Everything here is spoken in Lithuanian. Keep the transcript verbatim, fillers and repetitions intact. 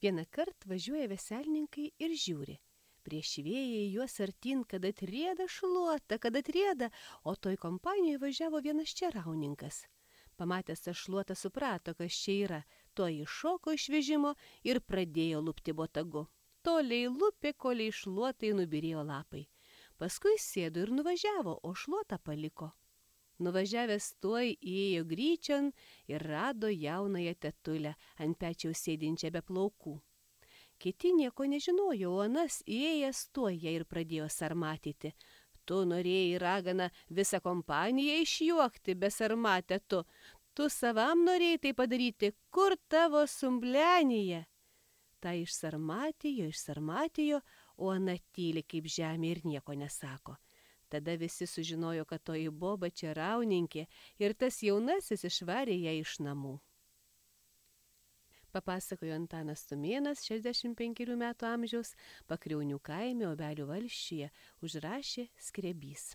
Vieną kartą važiuoja veselininkai ir žiūri. Prieš vėją į juos artin, kad atrieda šluota, kad atrieda, o toj kompanijoje važiavo vienas čerauninkas. Pamatęs tą šluotą suprato, kas čia yra, to iššoko iš vežimo ir pradėjo lupti botagu. Toliai lupė, koliai šluotai nubyrėjo lapai. Paskui sėdo ir nuvažiavo, o šluotą paliko. Nuvažiavęs tuoj įėjo gryčion ir rado jaunąją tetulę ant pečiaus sėdinčią be plaukų. Kiti nieko nežinojo, o anas įėjęs tuoj ją ir pradėjo sarmatyti. Tu norėjai, ragana, visą kompaniją išjuokti, besarmatę tu. Tu savam norėjai tai padaryti, kur tavo sumblenyje? Ta išsarmatijo, išsarmatijo, o ana tyli kaip žemė ir nieko nesako. Tada visi sužinojo, kad toji boba čerauninkė ir tas jaunasis išvarė ją iš namų. Papasakojo Antanas Tumėnas, šešiasdešimt penkerių metų amžiaus, Pakriaunių kaime Obelių valsčiuje, užrašė Skrebys.